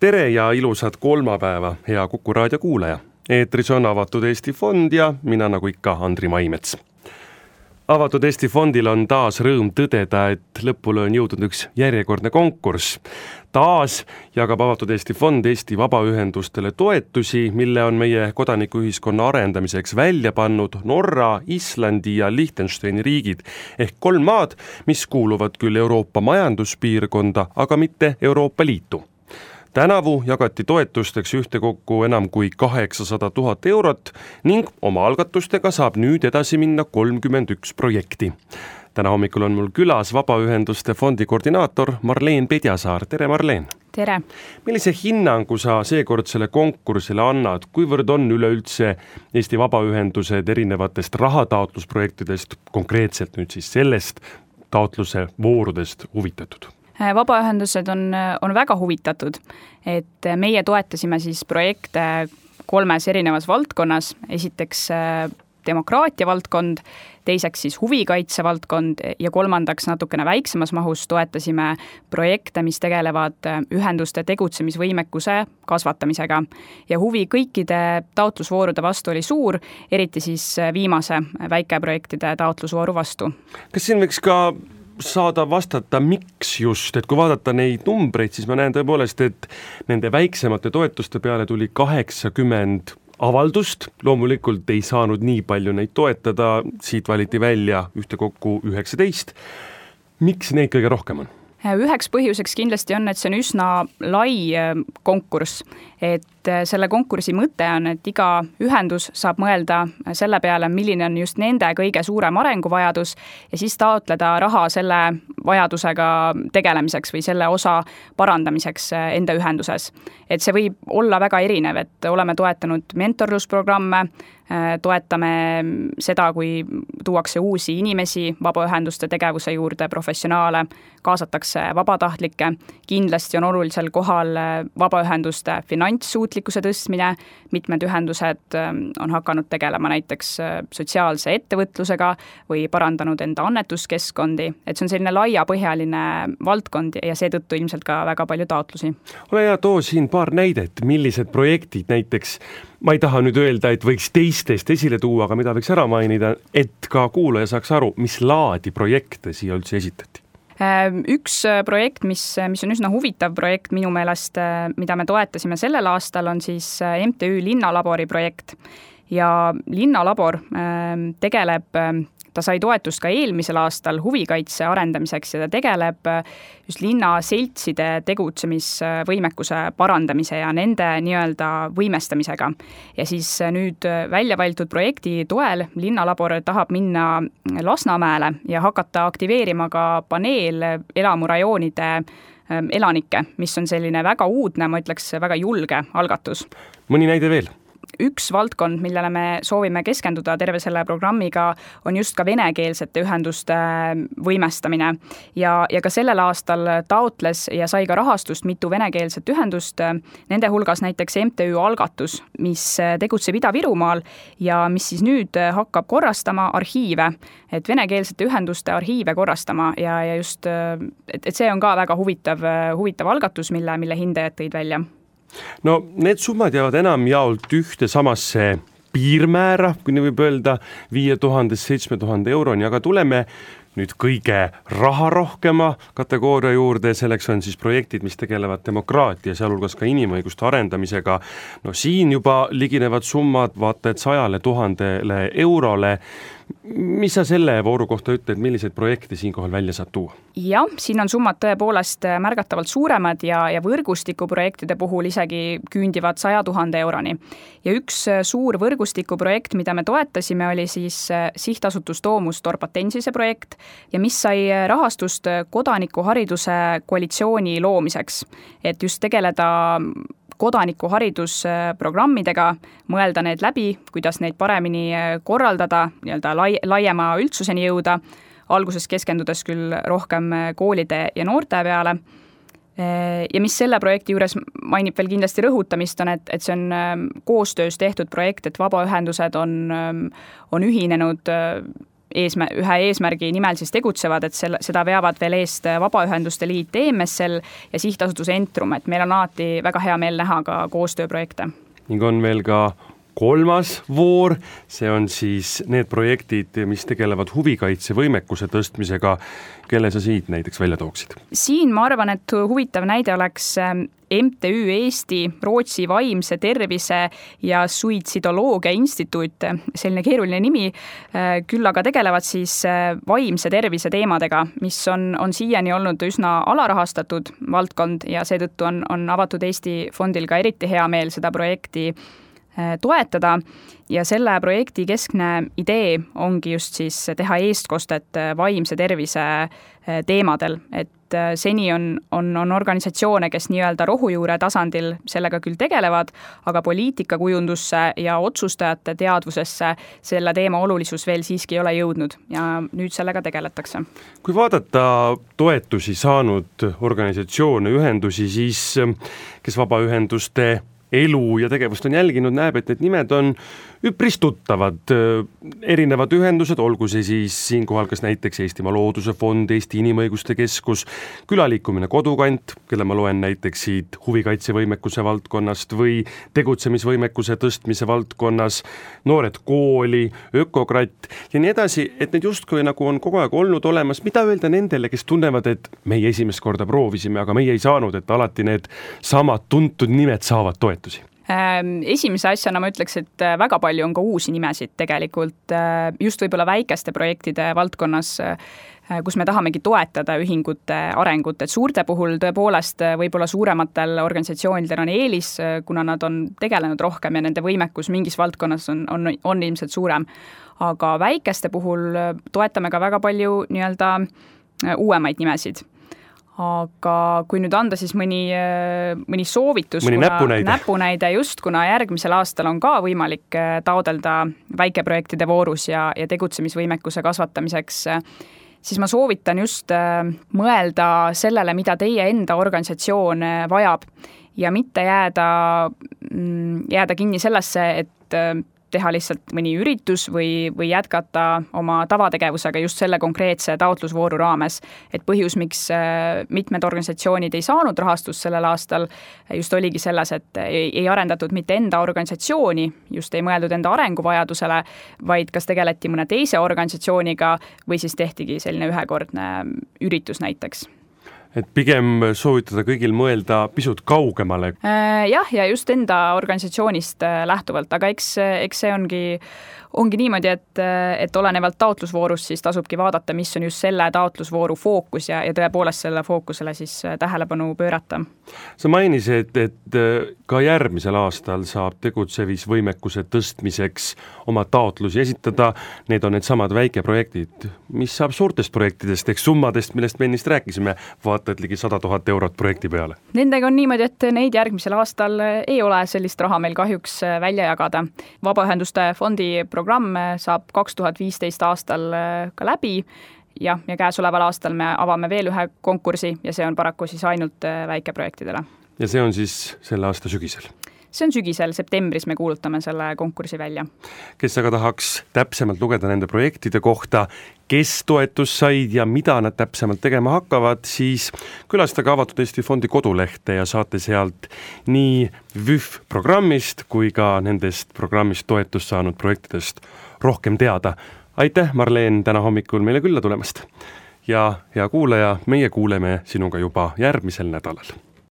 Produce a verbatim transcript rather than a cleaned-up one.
Tere ja ilusat kolmapäeva, hea Kuku raadio kuulaja. Eetris on Avatud Eesti Fond ja mina nagu ikka Andri Maimets. Avatud Eesti Fondil on taas rõõm tõdeda, et lõpule on jõudnud üks järjekordne konkurss. Taas jagab Avatud Eesti Fond Eesti vabaühendustele toetusi, mille on meie kodanikuühiskonna arendamiseks välja pannud Norra, Islandi ja Liechtensteini riigid ehk kolm maad, mis kuuluvad küll Euroopa majanduspiirkonda, aga mitte Euroopa Liitu. Tänavu jagati toetusteks ühtekokku enam kui kaheksasada tuhat eurot ning oma algatustega saab nüüd edasi minna kolmkümmend üks projekti. Täna hommikul on mul külas Vabaühenduste Fondi koordinaator Marleen Pedjasaar. Tere Marleen! Tere! Millise hinnangu sa seekordsele konkursile annad? Kuivõrd on üleüldse Eesti vabaühendused erinevatest rahataotlusprojektidest, konkreetselt nüüd siis sellest taotluse voorudest huvitatud? Vabaühendused on, on väga huvitatud, et meie toetasime siis projekte kolmes erinevas valdkonnas. Esiteks demokraatia valdkond, teiseks siis huvikaitse valdkond ja kolmandaks natukene väiksemas mahus toetasime projekte, mis tegelevad ühenduste tegutsemisvõimekuse kasvatamisega. Ja huvi kõikide taotlusvoorude vastu oli suur, eriti siis viimase väikeprojektide taotlusvooru vastu. Kas siin võiks ka saada vastata, miks just, et kui vaadata neid numbreid, siis ma näen tõepoolest, et nende väiksemate toetuste peale tuli kaheksakümmend avaldust, loomulikult ei saanud nii palju neid toetada, siit valiti välja ühtekokku üheksateist. Miks neid kõige rohkem on? Üheks põhjuseks kindlasti on, et see on üsna lai konkurss, et selle konkursi mõte on, et iga ühendus saab mõelda selle peale, milline on just nende kõige suurem arenguvajadus ja siis taotleda raha selle vajadusega tegelemiseks või selle osa parandamiseks enda ühenduses. Et see võib olla väga erinev, et oleme toetanud mentorlusprogramme, toetame seda, kui tuuakse uusi inimesi vabaühenduste tegevuse juurde, professionaale, kaasatakse vabatahtlikke. Kindlasti on olulisel kohal vabaühenduste finantssuutlikkuse tõstmine. Mitmed ühendused on hakanud tegelema näiteks sotsiaalse ettevõtlusega või parandanud enda annetuskeskkondi. Et see on selline laiapõhjaline valdkond ja seetõttu ilmselt ka väga palju taotlusi. Ole hea, too siin paar näidet, millised projektid näiteks, ma ei taha nüüd öelda, et võiks teistest esile tuua, aga mida võiks ära mainida, et ka kuulaja saaks aru, mis laadi projekte siia üldse esitati. Üks projekt, mis, mis on üsna huvitav projekt minu meelest, mida me toetasime sellel aastal, on siis M T Ü Linnalabori projekt. Ja Linnalabor tegeleb, ta sai toetust ka eelmisel aastal huvikaitse arendamiseks ja ta tegeleb just linna seltside tegutsemisvõimekuse parandamise ja nende nii-öelda võimestamisega. Ja siis nüüd välja valitud projekti toel Linnalabor tahab minna Lasnamäele ja hakata aktiveerima ka paneel elamurajoonide elanikke, mis on selline väga uudne, ma ütleks väga julge algatus. Mõni näide veel? Üks valdkond, millele me soovime keskenduda terve selle programmiga, on just ka venekeelsete ühenduste võimestamine. Ja, ja ka sellel aastal taotles ja sai ka rahastust mitu venekeelset ühendust. Nende hulgas näiteks M T Ü Algatus, mis tegutseb Ida-Virumaal ja mis siis nüüd hakkab korrastama arhiive, et venekeelsete ühenduste arhiive korrastama ja, ja just, et, et see on ka väga huvitav, huvitav algatus, mille, mille hindajad tõid välja. No need summad jäävad enam jaolt ühte samasse piirmäära, kui nii võib öelda, viie tuhande seitsme tuhande euroni, aga tuleme nüüd kõige raharohkema kategooria juurde, selleks on siis projektid, mis tegelevad demokraatia, sealhulgas ka inimõiguste arendamisega. No siin juba liginevad summad vaata et sajale tuhandele eurole. Mis sa selle vooru kohta ütled, milliseid projekte siinkohal välja saab tuua? Jah, siin on summad tõepoolest märgatavalt suuremad ja, ja võrgustikuprojektide puhul isegi küündivad saja tuhande euroni. Ja üks suur võrgustikuprojekt, mida me toetasime, oli siis sihtasutus Domus Torpatensise projekt ja mis sai rahastust kodanikuhariduse koalitsiooni loomiseks, et just tegeleda kodanikuharidusprogrammidega, mõelda need läbi, kuidas neid paremini korraldada, nii-öelda lai, laiema üldsuseni jõuda, alguses keskendudes küll rohkem koolide ja noorte peale. Ja mis selle projekti juures mainib veel kindlasti rõhutamist on, et, et see on koostöös tehtud projekt, et vabaühendused on, on ühinenud eesmär-, ühe eesmärgi nimel siis tegutsevad, et selle, seda veavad veel eest Vabaühenduste Liit E M S L ja sihtasutus Entrum, et meil on alati väga hea meel näha ka koostööprojekte. Ning on veel ka kolmas voor, see on siis need projektid, mis tegelevad huvikaitsevõimekuse tõstmisega, kelle sa siit näiteks välja tooksid? Siin ma arvan, et huvitav näide oleks M T Ü Eesti, Rootsi vaimse tervise ja suitsidoloogia instituut, selline keeruline nimi, küll aga tegelevad siis vaimse tervise teemadega, mis on, on siiani olnud üsna alarahastatud valdkond ja seetõttu on, on Avatud Eesti fondil ka eriti hea meel seda projekti toetada ja selle projekti keskne idee ongi just siis teha eestkostet vaimse tervise teemadel, et seni on, on, on organisatsioone, kes nii-öelda rohujuure tasandil sellega küll tegelevad, aga poliitikakujundusse ja otsustajate teadvusesse selle teema olulisus veel siiski ei ole jõudnud ja nüüd sellega tegeletakse. Kui vaadata toetusi saanud organisatsioone, ühendusi, siis kes vabaühenduste elu ja tegevust on jälginud, näeb, et need nimed on üpris tuttavad, erinevad ühendused, olgu see siis siinkohal kas näiteks Eestimaa Looduse Fond, Eesti Inimõiguste Keskus, Külaliikumine Kodukant, kelle ma loen näiteks siit huvikaitsevõimekuse valdkonnast või tegutsemisvõimekuse tõstmise valdkonnas, Noored Kooli, Ökokratt ja nii edasi, et need justkui nagu on kogu aeg olnud olemas. Mida öelda nendele, kes tunnevad, et meie esimest korda proovisime, aga meie ei saanud, et alati need samad tuntud nimed saavad toetusi? Esimese asjana ma ütleks, et väga palju on ka uusi nimesid tegelikult just võib-olla väikeste projektide valdkonnas, kus me tahamegi toetada ühingute arengut, et suurte puhul tõepoolest võib-olla suurematel organisatsioonidel on eelis, kuna nad on tegelenud rohkem ja nende võimekus mingis valdkonnas on, on, on ilmselt suurem. Aga väikeste puhul toetame ka väga palju nii-öelda uuemaid nimesid. Aga kui nüüd anda siis mõni, mõni soovitus, mõni kuna näpunäide. näpunäide just, kuna järgmisel aastal on ka võimalik taodelda väikeprojektide voorus ja, ja tegutsemisvõimekuse kasvatamiseks, siis ma soovitan just mõelda sellele, mida teie enda organisatsioon vajab ja mitte jääda, jääda kinni sellesse, et teha lihtsalt mõni üritus või, või jätkata oma tavategevusega just selle konkreetse taotlusvooru raames. Et põhjus, miks mitmed organisatsioonid ei saanud rahastust sellel aastal, just oligi selles, et ei, ei arendatud mitte enda organisatsiooni, just ei mõeldud enda arenguvajadusele, vaid kas tegeleti mõne teise organisatsiooniga või siis tehtigi selline ühekordne üritus näiteks. Et pigem soovitada kõigil mõelda pisut kaugemale. Jah, ja just enda organisatsioonist lähtuvalt, aga eks, eks see ongi, ongi niimoodi, et, et olenevalt taotlusvoorust siis tasubki vaadata, mis on just selle taotlusvooru fookus ja, ja tõepoolest selle fookusele siis tähelepanu pöörata. Sa mainisid, et ka järgmisel aastal saab tegutsemisvõimekuse tõstmiseks oma taotlusi esitada. Need on need samad väikeprojektid. Mis saab suurtest projektidest, eks summadest, millest me ennist rääkisime, vaatad ligi sada tuhat eurot projekti peale? Nendega on niimoodi, et neid järgmisel aastal ei ole sellist raha meil kahjuks välja jagada. Vabaühenduste fondi programm saab kaks tuhat viisteist aastal ka läbi ja, ja käesoleval aastal me avame veel ühe konkursi ja see on paraku siis ainult väikeprojektidele. Ja see on siis selle aasta sügisel? See on sügisel, septembris me kuulutame selle konkursi välja. Kes aga tahaks täpsemalt lugeda nende projektide kohta, kes toetus said ja mida nad täpsemalt tegema hakkavad, siis külastage Avatud Eesti Fondi kodulehte ja saate sealt nii V Ü F programmist kui ka nendest programmist toetust saanud projektidest rohkem teada. Aitäh, Marleen, täna hommikul meile külla tulemast. Ja hea kuulaja, meie kuuleme sinuga juba järgmisel nädalal.